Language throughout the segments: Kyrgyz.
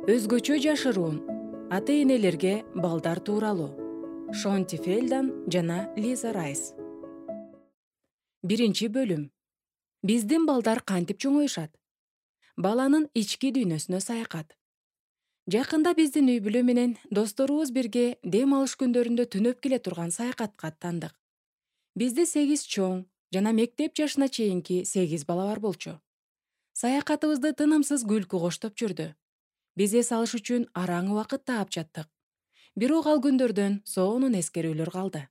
Өзгөчө жашыруун ата-энелерге балдар тууралуу. Шонти Фелдан жана Лиза Райс. Биринчи бөлүм. Биздин балдар кантип чоңоюшат? Баланын ички дүйнөсүнө саякат. Жакында биздин үй бүлө менен досторубуз бирге дем алыш күндөрүндө түнөп келе турган саякатка аттандык. Бизде 8 чоң жана мектеп жашына чейинки 8 бала бар болчу. Саякатыбызды тынымсыз күлкү коштоп жүрдү. Биз эс алыш үчүн араң убакыт таап жаттык. Бирок ал күндөрдөн сонун эскерүүлөр калды.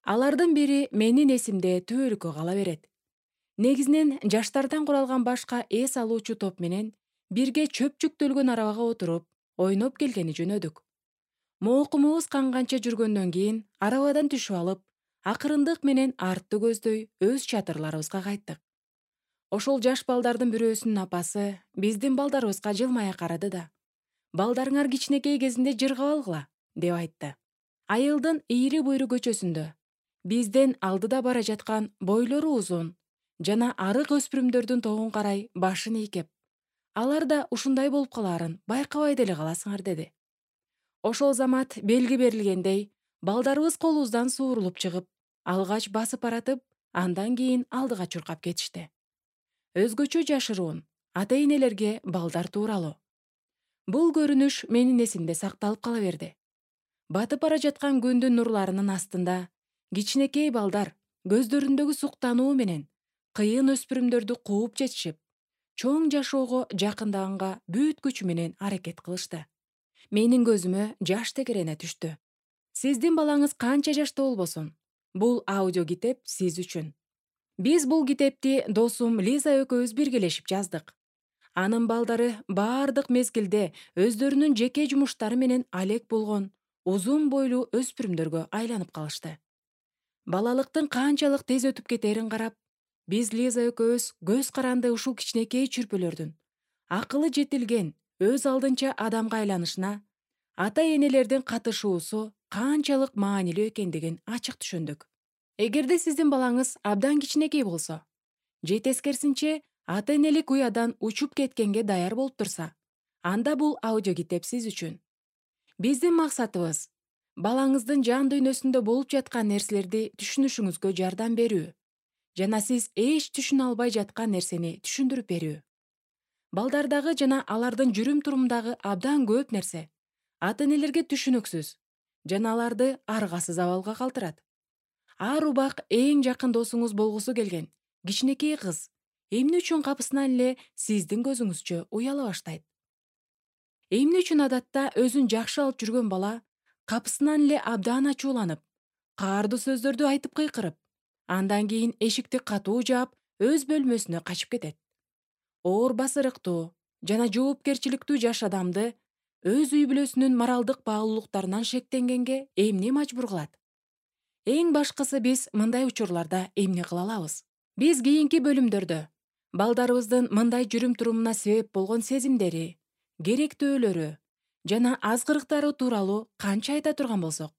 Алардын бири менин эсимде түбөлүккө кала берет. Негизинен жаштардан куралган башка эс алуучу топ менен бирге чөп жүктөлгөн арабага отуруп, ойноп келгени жөнөдүк. Моокумубуз канганча жүргөндөн кийин арабадан түшүп алып, акырындык менен артты көздөй өз чатырларыбызга кайттык. Ошол жаш балдардын бирөөсүнүн апасы биздин балдарыбызга жылмая карады да: «Балдарыңар кичинекей кезинде жыргап алгыла», деп айтты. Айылдын ийри буйру көчөсүндө бизден алдыда бара жаткан бойлору узун жана арык өспүрүмдөрдүн тобун карай башын ийкеп: «Алар да ушундай болуп калаарын байкабай деле каласыңар», деди. Ошол замат белги берилгендей, балдарыбыз колубуздан суурулуп чыгып, алгач басып баратып, андан кийин алдыга чуркап кетишти. Өзгөчө жашыруун ата-энелерге балдар тууралуу. Бул көрүнүш менин эсимде сакталып кала берди. Батып бара жаткан күндүн нурларынын астында кичинекей балдар көздөрүндөгү суктануу менен кыйын өспүрүмдөрдү кууп жетишип, чоң жашоого жакындаганга бүт күчү менен аракет кылышты. Менин көзүмө жаш текерене түштү. Сиздин балаңыз канча жашта болбосун, бул аудио китеп сиз үчүн. Биз бул китепти досум Лиза экөөбүз биргелешип жаздык. Анын балдары баардык мезгилде өздөрүнүн жеке жумуштары менен алек болгон узун бойлуу өспүрүмдөргө айланып калышты. Балалыктын канчалык тез өтүп кетерин карап, биз Лиза экөөбүз көз каранды ушул кичинекей чүрпөлөрдүн акылы жетилген, өз алдынча адамга айланышына ата-энелердин катышуусу канчалык маанилүү экендигин ачык түшүндүк. Эгерде сиздин балаңыз абдан кичинекей болсо, же тескерисинче ата-энелик уядан учуп кеткенге даяр болуп турса, анда бул аудио китеп сиз үчүн. Биздин максатыбыз балаңыздын жан дүйнөсүндө болуп жаткан нерселерди түшүнүшүңүзгө жардам берүү жана сиз эч түшүнө албай жаткан нерсени түшүндүрүп берүү. Балдардагы жана алардын жүрүм-турумдагы абдан көп нерсе ата-энелерге түшүнүксүз жана аларды аргасыз абалга калтырат. Ар убак эң жакын досуңуз болгусу келген кичинекей кыз эмне үчүн капысынан эле сиздин көзүңүзчө уяла баштайт? Эмне үчүн адатта өзүн жакшы алып жүргөн бала капысынан эле абдан ачууланып, каардуу сөздөрдү айтып кыйкырып, андан кийин эшикти катуу жаап, өз бөлмөсүнө качып кетет? Оор басырыктуу жана жоопкерчиликтүү жаш адамды өз үй бүлөсүнүн моралдык баалуулуктарынан шектенгенге эмне мажбур кылат? Эң башкысы биз мындай учурларда эмне кыла алабыз? Биз кийинки бөлүмдөрдө балдарыбыздын мындай жүрүм-турумуна себеп болгон сезимдери, керектөөлөрү жана азгырыктары тууралуу канча айта турган болсок,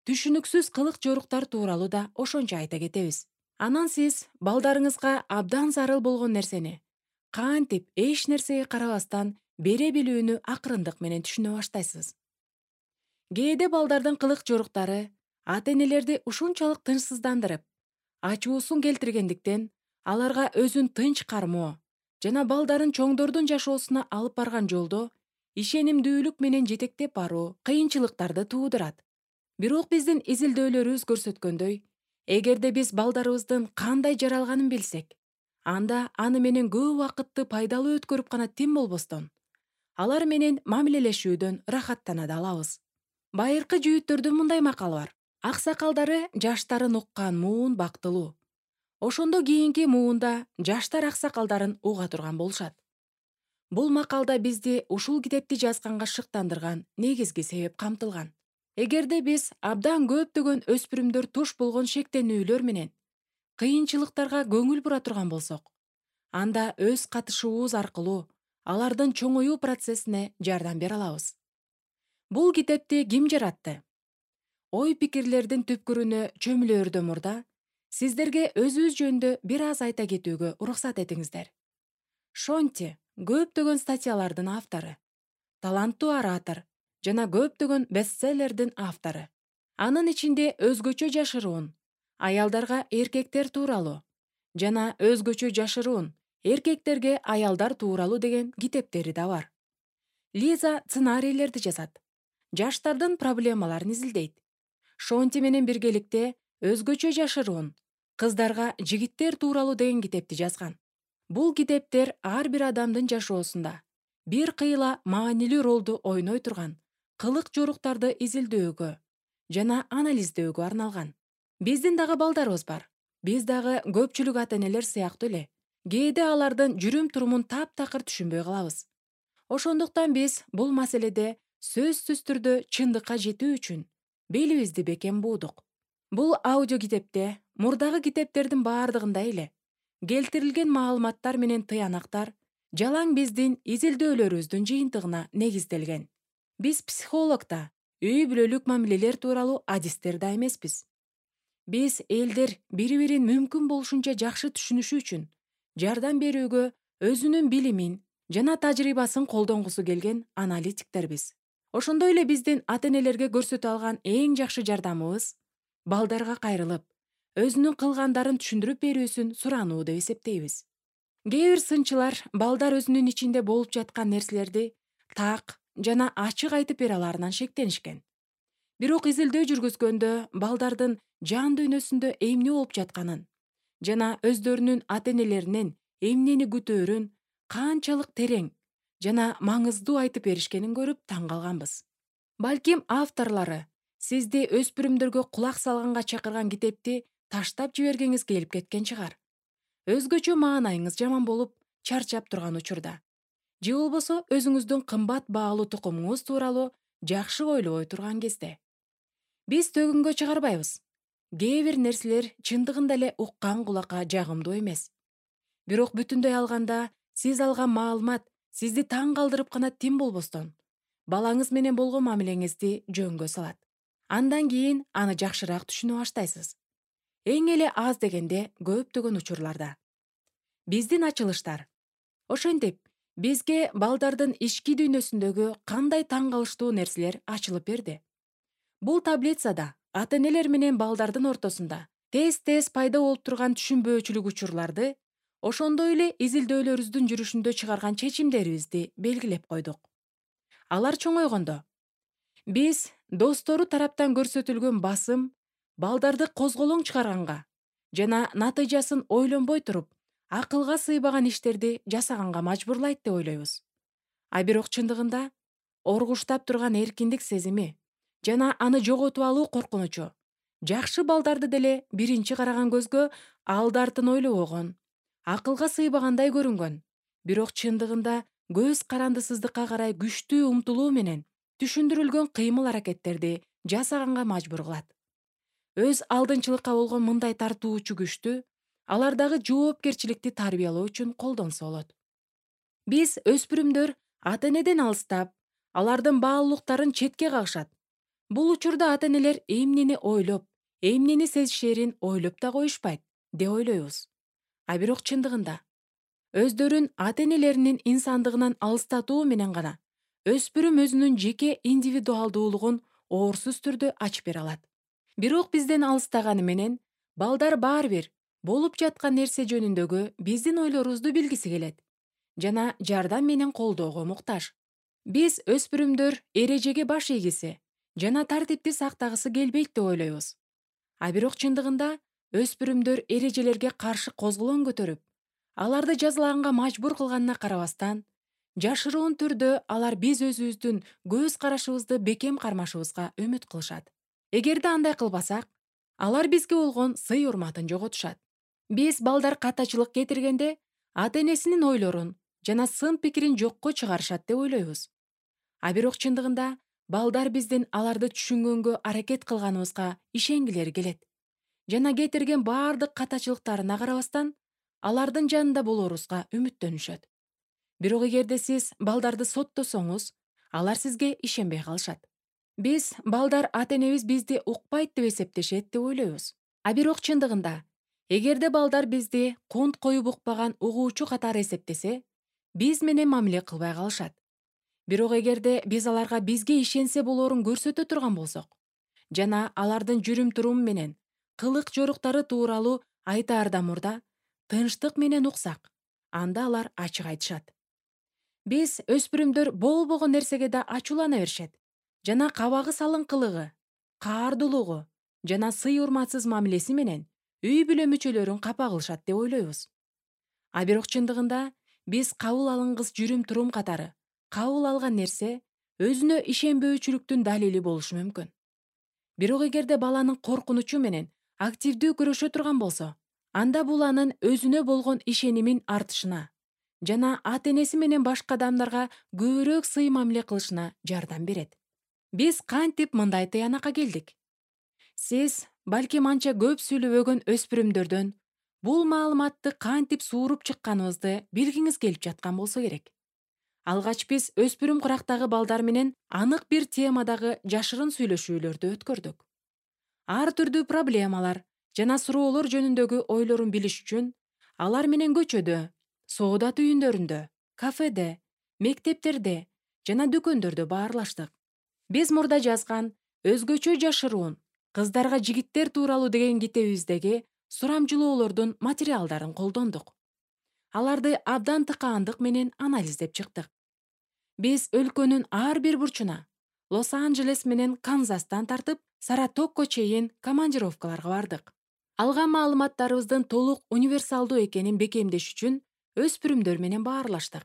түшүнүксүз кылык жоруктар тууралуу да ошончо айта кетебиз. Анан сиз балдарыңызга абдан зарыл болгон нерсени кантип эч нерсеге карабастан бере билүүнү акырындык менен түшүнө баштайсыз. Кээде балдардын кылык жоруктары ата-энелерди ушунчалык тынчсыздандырып, ачуусун келтиргендиктен аларга өзүн тынч кармоо жана балдарын чоңдордун жашоосуна алып барган жолдо ишенимдүүлүк менен жетектеп баруу кыйынчылыктарды туудурат. Бирок биздин изилдөөлөрүбүз көрсөткөндөй, эгерде биз балдарыбыздын кандай жаралганын билсек, анда аны менен көп убакытты пайдалуу өткөрүп гана тим болбостон, алар менен мамилелешүүдөн рахаттана да алабыз. Байыркы жүйүттөрдүн мындай макалы бар: аксакалдары жаштарын уккан муун бактылуу. Ошондо кийинки муунда жаштар аксакалдарын уга турган болушат. Бул макалда бизди ушул китепти жазганга шыктандырган негизги себеп камтылган. Эгерде биз абдан көптөгөн өспүрүмдөр туш болгон шектенүүлөр менен кыйынчылыктарга көңүл бура турган болсок, анда өз катышуубуз аркылуу алардын чоңоюу процессине жардам бере алабыз. Бул китепти ким жаратты? Ой-пикирлердин түпкүрүнө чөмүлөөрдөн мурда сиздерге өзүбүз жөнүндө бир аз айта кетүүгө уруксат этиңиздер. Шонти көптөгөн статьялардын автору. таланттуу оратор жана көптөгөн бестселлердин автору. Анын ичинде өзгөчө жашыруун аялдарга эркектер тууралуу жана өзгөчө жашыруун эркектерге аялдар тууралуу деген китептери да бар. Лиза сценарийлерди жазат, жаштардын проблемаларын изилдейт. Шонти менен биргеликте өзгөчө жашыруун кыздарга жигиттер тууралуу деген китепти жазган. Бул китептер ар бир адамдын жашоосунда бир кыйла маанилүү ролду ойной турган кылык жоруктарды изилдөөгө жана анализдөөгө арналган. Биздин дагы балдарыбыз бар. Биз дагы көпчүлүк ата-энелер сыяктуу эле кээде алардын жүрүм-турумун таптакыр түшүнбөй калабыз. Ошондуктан биз бул маселеде сөзсүз түрдө чындыкка жетүү үчүн белибизди бекем буудук. Бул аудио китепте мурдагы китептердин баардыгындай эле келтирилген маалыматтар менен тыянактар жалаң биздин изилдөөлөрүбүздүн жыйынтыгына негизделген. Биз психолог да, үй бүлөлүк мамилелер тууралуу адистер да эмеспиз. Биз элдер бири-бирин мүмкүн болушунча жакшы түшүнүшү үчүн жардам берүүгө өзүнүн билимин жана тажрыйбасын колдонгусу келген аналитиктербиз. Ошондой эле биздин ата-энелерге көрсөтө алган эң жакшы жардамыбыз балдарга кайрылып, өзүнүн кылгандарын түшүндүрүп берүүсүн сурануу деп эсептейбиз. Кээ бир сынчылар балдар өзүнүн ичинде болуп жаткан нерселерди так жана ачык айтып бере алаарынан шектенишкен. Бирок изилдөө жүргүзгөндө балдардын жан дүйнөсүндө эмне болуп жатканын жана өздөрүнүн ата-энелеринен эмнени күтөөрүн канчалык терең жана маңыздуу айтып беришкенин көрүп таң калганбыз. Балким авторлору сизди өспүрүмдөргө кулак салганга чакырган китепти таштап жибергиңиз келип кеткен чыгар. Өзгөчө маанайыңыз жаман болуп, чарчап турган учурда. Же болбосо өзүңүздүн кымбат баалуу тукумуңуз тууралуу жакшы ойлобой турган кезде. Биз төгүнгө чыгарбайбыз. Кээ бир нерселер чындыгында эле уккан кулакка жагымдуу эмес. Бирок бүтүндөй алганда сиз алган маалымат сизди таң калтырып гана тим болбостон, балаңыз менен болгон мамилеңизди жөнгө салат. Андан кийин аны жакшыраак түшүнө баштайсыз. Эң эле аз дегенде көптөгөн учурларда. Биздин ачылыштар. Ошентип, бизге балдардын ички дүйнөсүндөгү кандай таң калыштуу нерселер ачылып берди. Бул таблицада ата-энелер менен балдардын ортосунда тез-тез пайда болуп турган түшүнбөөчүлүк учурларды, ошондой эле изилдөөлөрүбүздүн жүрүшүндө чыгарган чечимдерибизди белгилеп койдук. Алар чоңойгондо биз достору тараптан көрсөтүлгөн басым балдарды козголоң чыгарганга жана натыйжасын ойлонбой туруп, акылга сыйбаган иштерди жасаганга мажбурлайт деп ойлойбуз. А бирок чындыгында оргуштап турган эркиндик сезими жана аны жоготуп алуу коркунучу жакшы балдарды деле биринчи караган көзгө алды артын ойлобогон, акылга сыйбагандай көрүнгөн, бирок чындыгында көз карандысыздыкка карай күчтүү умтулуу менен түшүндүрүлгөн кыймыл-аракеттерди жасаганга мажбур кылат. Өз алдынчылыкка болгон мындай тартуучу күчтү алардагы жоопкерчиликти тарбиялоо үчүн колдонсо болот. Биз өспүрүмдөр ата-энеден алыстап, алардын баалуулуктарын четке кагышат. Бул учурда ата-энелер эмнени ойлоп, эмнени сезишерин ойлоп да коюшпайт деп ойлойбуз. А бирок чындыгында өздөрүн ата-энелеринин инсандыгынан алыстатуу менен гана өспүрүм өзүнүн жеке индивидуалдуулугун оорсуз түрдө ачып бере алат. Бирок бизден алыстаганы менен балдар баары бир болуп жаткан нерсе жөнүндөгү биздин ойлорубузду билгиси келет жана жардам менен колдоого муктаж. Биз өспүрүмдөр эрежеге баш ийгиси жана тартипти сактагысы келбейт деп ойлойбуз. А бирок чындыгында өспүрүмдөр эрежелерге каршы козголоң көтөрүп, аларды жазалаганга мажбур кылганына карабастан, жашыруун түрдө алар биз өзүбүздүн көз карашыбызды бекем кармашыбызга үмүт кылышат. Эгерде андай кылбасак, алар бизге болгон сый-урматын жоготушат. Биз балдар катачылык кетиргенде ата-энесинин ойлорун жана сын пикирин жокко чыгарышат деп ойлойбуз. А бирок чындыгында балдар биздин аларды түшүнгөнгө аракет кылганыбызга ишенгилери келет жана кетирген баардык катачылыктарына карабастан алардын жанында болорубузга үмүттөнүшөт. Бирок эгерде сиз балдарды соттосоңуз, алар сизге ишенбей калышат. Биз балдар ата-энебиз бизди укпайт деп эсептешет деп ойлойбуз. А бирок чындыгында эгерде балдар бизди кунт коюп укпаган угуучу катары эсептесе, биз менен мамиле кылбай калышат. Бирок эгерде биз аларга бизге ишенсе болоорун көрсөтө турган болсок жана алардын жүрүм-туруму менен кылык жоруктары тууралуу айтаардан мурда тынчтык менен уксак, анда алар ачык айтышат. Биз өспүрүмдөр болбогон нерсеге да ачуулана беришет жана кабагы салыңкылыгы, каардуулугу жана сый-урматсыз мамилеси менен үй бүлө мүчөлөрүн капа кылышат деп ойлойбуз. А бирок чындыгында биз кабыл алынгыс жүрүм-турум катары кабыл алган нерсе өзүнө ишенбөөчүлүктүн далили болушу мүмкүн. Бирок эгерде баланын коркунучу менен активдүү күрөшө турган болсо, анда бул анын өзүнө болгон ишенимин артышына жана ата-энеси менен башка адамдарга көбүрөөк сый мамиле кылышына жардам берет. Биз кантип мындай тыянакка келдик? Сиз балким анча көп сүйлөбөгөн өспүрүмдөрдөн бул маалыматты кантип сууруп чыкканыбызды билгиңиз келип жаткан болсо керек. Алгач биз өспүрүм курактагы балдар менен анык бир темадагы жашырын сүйлөшүүлөрдү өткөрдүк. Ар түрдүү проблемалар жана суроолор жөнүндөгү ойлорун билиш үчүн алар менен көчөдө, соода түйүндөрүндө, кафеде, мектептерде жана дүкөндөрдө баарлаштык. Биз мурда жазган «Өзгөчө жашыруун кыздарга жигиттер тууралуу» деген китебибиздеги сурамжылоолордун материалдарын колдондук. Аларды абдан тыкаандык менен анализдеп чыктык. Биз өлкөнүн ар бир бурчуна, Лос-Анджелес менен Канзастан тартып, Саратокко чейин командировкаларга бардык. Алган маалыматтарыбыздын толук универсалдуу экенин бекемдеш үчүн өспүрүмдөр менен баарлаштык.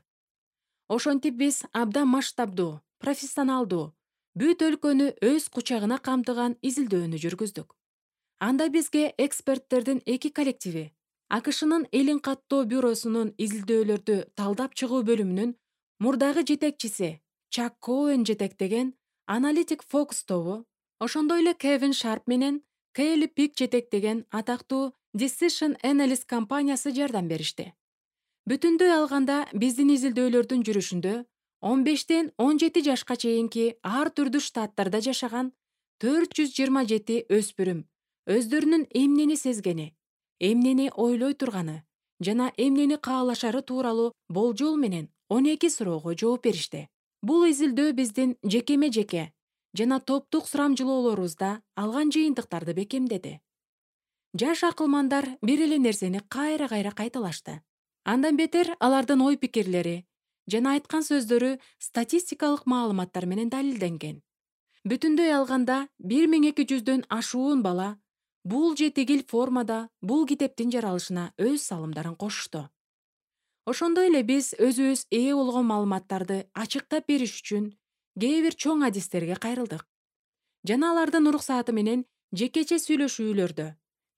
Ошентип биз абдан масштабдуу, профессионалдуу, бүт өлкөнү өз кучагына камтыган изилдөөнү жүргүздүк. Анда бизге эксперттердин 2 коллективи, АКШнын элин каттоо бюросунун изилдөөлөрдү талдап чыгуу бөлүмүнүн мурдагы жетекчиси Чак Коэн жетектеген аналитик Фокус тобу, ошондой эле Кевин Шарп менен Кейли Пик жетектеген атактуу Decision Analyst компаниясы жардам беришти. Бүтүндөй алганда биздин изилдөөлөрдүн жүрүшүндө 15-17 жашка чейинки ар түрдүү штаттарда жашаган 427 өспүрүм өздөрүнүн эмнени сезгени, эмнени ойлой турганы жана эмнени каалашары тууралуу болжол менен 12 суроого жооп беришти. Бул изилдөө биздин жекеме-жеке жана топтук сурамжылоолорубузда алган жыйынтыктарды бекемдеди. Жаш акылмандар бир эле нерсени кайра-кайра кайталашты. Андан бетер алардын ой-пикирлери жана айткан сөздөрү статистикалык маалыматтар менен далилденген. Бүтүндөй алганда 1200дөн ашуун бала бул же тигил формада бул китептин жаралышына өз салымдарын кошушту. Ошондой эле биз өзүбүз ээ болгон маалыматтарды ачыктап бериш үчүн кээ бир чоң адистерге кайрылдык. Жана алардын уруксааты менен жекече сүйлөшүүлөрдө,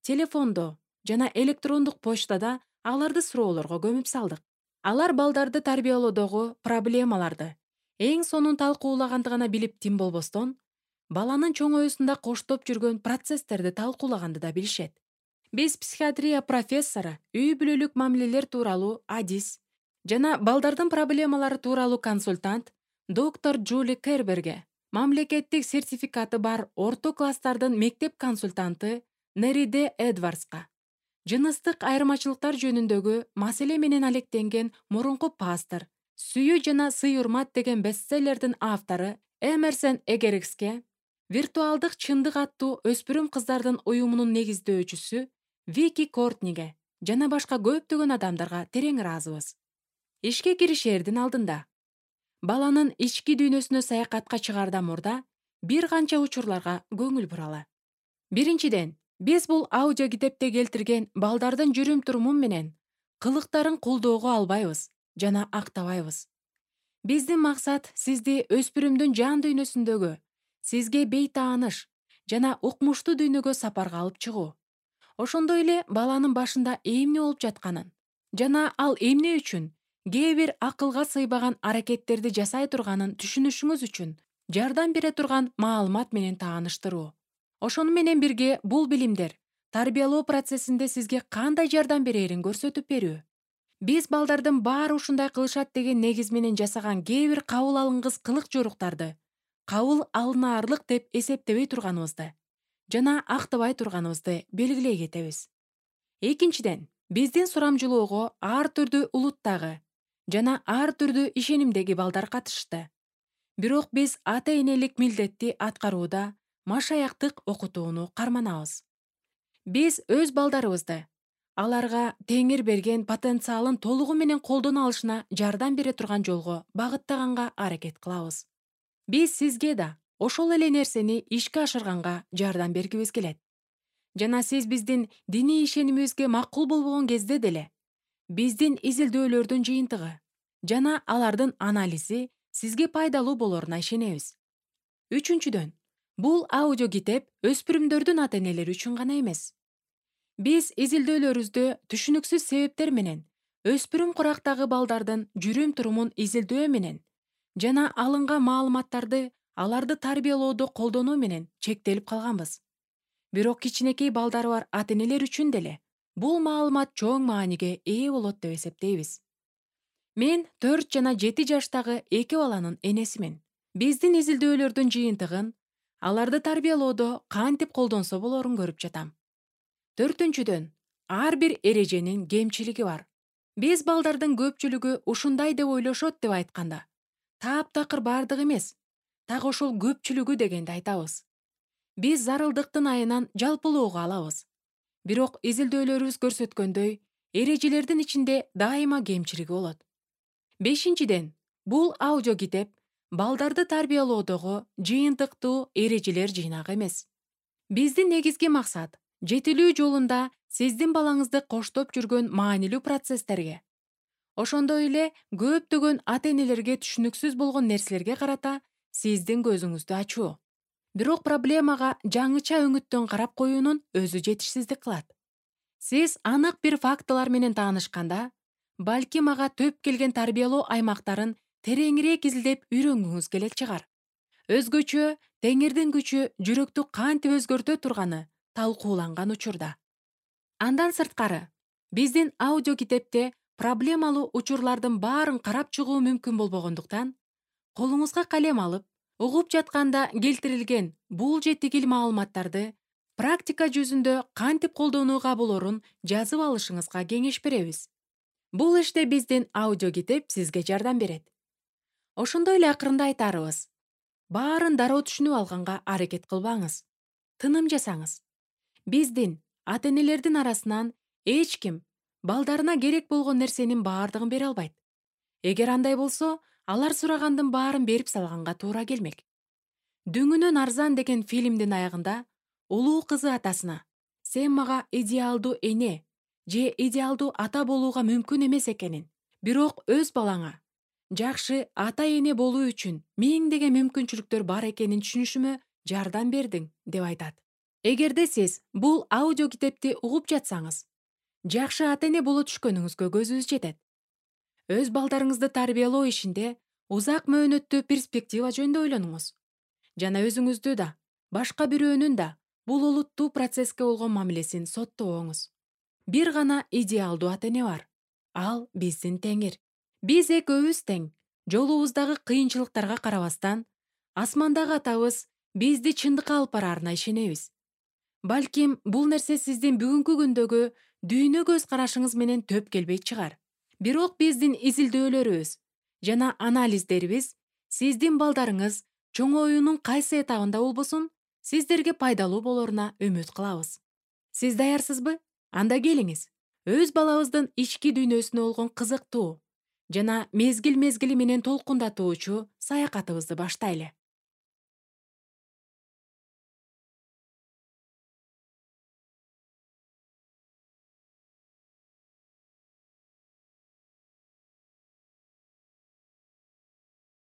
телефондо жана электрондук почтада аларды суроолорго көмүп салдык. Алар балдарды тарбиялоодогу проблемаларды эң сонун талкуулаганды гана билип тим болбостон, баланын чоңоюусунда коштоп жүргөн процесстерди талкуулаганды да билишет. Биз психиатрия профессору, үй бүлөлүк мамилелер тууралуу адис жана балдардын проблемалары тууралуу консультант доктор Джули Керберге, мамлекеттик сертификаты бар орто класстардын мектеп консультанты Нериде Эдвардска, жыныстык айырмачылыктар жөнүндөгү маселе менен алектенген мурунку пастор, Сүйүү жана сый-урмат деген бестселлердин автору Эмерсон Эггерске, виртуалдык чындык аттуу өспүрүм кыздардын уюмунун негиздөөчүсү Вики Кортниге жана башка көптөгөн адамдарга терең ыраазыбыз. Ишке киришердин алдында баланын ички дүйнөсүнө саякатка чыгаардан мурда бир канча учурларга көңүл буралы. Биринчиден, биз бул аудио китепте келтирген балдардын жүрүм-туруму менен кылыктарын колдоого албайбыз жана актабайбыз. Биздин максат сизди өспүрүмдүн жан дүйнөсүндөгү, сизге бейтааныш жана укмуштуу дүйнөгө сапарга алып чыгуу. Ошондой эле баланын башында эмне болуп жатканын жана ал эмне үчүн кээ бир акылга сыйбаган аракеттерди жасай турганын түшүнүшүңүз үчүн жардам бере турган маалымат менен тааныштыруу. Ошону менен бирге бул билимдер тарбиялоо процессинде сизге кандай жардам берерин көрсөтүп берүү. Биз балдардын баары ушундай кылышат деген негиз менен жасаган кээ бир кабыл алынгыс кылык жоруктарды кабыл алынаарлык деп эсептебей турганыбызды жана актабай турганыбызды белгилей кетебиз. Экинчиден, биздин сурамжылоого ар түрдүү улуттагы жана ар түрдүү ишенимдеги балдар катышты. Бирок биз ата-энелик милдетти аткарууда машаяктык окутууну карманабыз. Биз өз балдарыбызды аларга Теңир берген потенциалын толугу менен колдоно алышына жардам бере турган жолго багыттаганга аракет кылабыз. Биз сизге да ошол эле нерсени ишке ашырганга жардам бергибиз келет. Жана сиз биздин диний ишенимибизге макул болбогон кезде деле биздин изилдөөлөрдүн жыйынтыгы жана алардын анализи сизге пайдалуу болоруна ишенебиз. Үчүнчүдөн, бул аудиокитеп өспүрүмдөрдүн ата-энелери үчүн гана эмес. Биз изилдөөлөрүбүздө түшүнүксүз себептер менен өспүрүм курактагы балдардын жүрүм-турумун изилдөө менен жана алынган маалыматтарды аларды тарбиялоодо колдонуу менен чектелип калганбыз. Бирок кичинекей балдары бар ата-энелер үчүн деле бул маалымат чоң мааниге ээ болот деп эсептейбиз. Мен 4 жана 7 жаштагы 2 баланын энесимин. Биздин изилдөөлөрдүн жыйынтыгын аларды тарбиялоодо кантип колдонсо болорун көрүп жатам. 4-дөн, ар бир эреженин кемчилиги бар. Биз балдардын көпчүлүгү ушундай деп ойлошот деп айтканда, таптакыр бардыгы эмес, так ошол көпчүлүгү дегенди айтабыз. Биз зарылдыктын айынан жалпылоого алабыз. Бирок изилдөөлөрүбүз көрсөткөндөй, эрежелердин ичинде дайыма кемчилиги болот. 5-ден, бул аудиокитеп балдарды тарбиялоодогу жыйынтыктуу эрежелер жыйнагы эмес. Биздин негизги максат жетилүү жолунда сиздин балаңызды коштоп жүргөн маанилүү процесстерге, ошондой эле көптөгөн ата-энелерге түшүнүксүз болгон нерселерге карата сиздин көзүңүздү ачуу. Бирок проблемага жаңыча өңүттөн карап коюунун өзү жетишсиздик кылат. Сиз анык бир фактылар менен таанышканда, балким ага төп келген тарбиялоо аймактарын тереңирээк изилдеп үйрөнгүңүз келет чыгар. Өзгөчө Теңирдин күчү жүрөктү кантип өзгөртө турганы талкууланган учурда. Андан сырткары, биздин аудиокитепте проблемалуу учурлардын баарын карап чыгуу мүмкүн болбогондуктан, колуңузга калем алып, угуп жатканда келтирилген бул жетигил маалыматтарды практика жүзүндө кантип колдонууга болорун жазып алышыңызга кеңеш беребиз. Бул иште биздин аудиокитеп сизге жардам берет. Ошондой эле акырында айтарыбыз: баарын дароо түшүнүп алганга аракет кылбаңыз. Тыным жасаңыз. Биздин ата-энелердин арасынан эч ким балдарына керек болгон нерсенин баардыгын бере албайт. Эгер андай болсо, алар сурагандын баарын берип салганга туура келмек. Дүңүнөн арзан деген фильмдин аягында улуу кызы атасына: "Сен мага идеалдуу эне же идеалдуу ата болууга мүмкүн эмес экенин, бирок өз балаңа жакшы ата-эне болуу үчүн миңдеген мүмкүнчүлүктөр бар экенин түшүнүшүмө жардам бердиң" деп айтат. Эгерде сиз бул аудиокитепти угуп жатсаңыз, жакшы ата-эне боло түшкөнүңүзгө көзүбүз жетет. Өз балдарыңызды тарбиялоо ишинде узак мөөнөттүү перспектива жөнүндө ойлонуңуз. Жана өзүңүздү да, башка бирөөнүн да бул олуттуу процесске болгон мамилесин соттобоңуз. Бир гана идеалдуу ата-эне бар. Ал биздин Теңир. Биз экөөбүз тең. Жолубуздагы кыйынчылыктарга карабастан, асмандагы атабыз бизди чындыкка алып барарына ишенебиз. Балким бул нерсе сиздин бүгүнкү күндөгү дүйнө көз карашыңыз менен төп келбейт чыгар. Бирок биздин изилдөөлөрүбүз жана анализдерибиз сиздин балдарыңыз чоңоюунун кайсы этабында болбосун, сиздерге пайдалуу болоруна үмүт кылабыз. Сиз даярсызбы? Анда келиңиз. Өз балабыздын ички дүйнөсүнө болгон кызыктуу жана мезгил-мезгили менен толкундатуучу саякатыбызды баштайлы.